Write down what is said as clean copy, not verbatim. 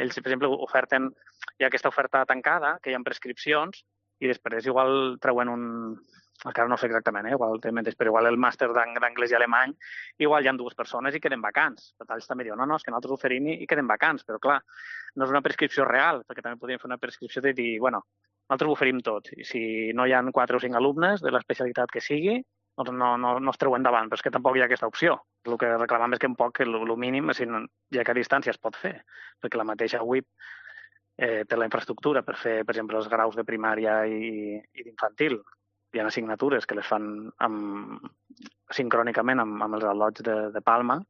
Ells, per exemple, oferten, hi ha aquesta oferta tancada, que hi ha prescripcions, i després igual treuen encara no sé exactament, igual té menys, però igual el màster d'anglès i alemany, igual hi ha dues persones i queden vacants. Per tant, ells també diuen, no, és que nosaltres oferim i queden vacants, però clar, no és una prescripció real, perquè també podríem fer una prescripció de dir, bueno, nosaltres ho oferim tot, i si no hi ha 4 o 5 alumnes de l'especialitat que sigui, doncs no es treu endavant, però és que tampoc hi ha aquesta opció. El que reclamam és que un poc el mínim, ja que a distància es pot fer, perquè la mateixa UIP té la infraestructura per fer, per exemple, els graus de primària i d'infantil. Hi ha assignatures que les fan sincrònicament amb els al·lots de Palma,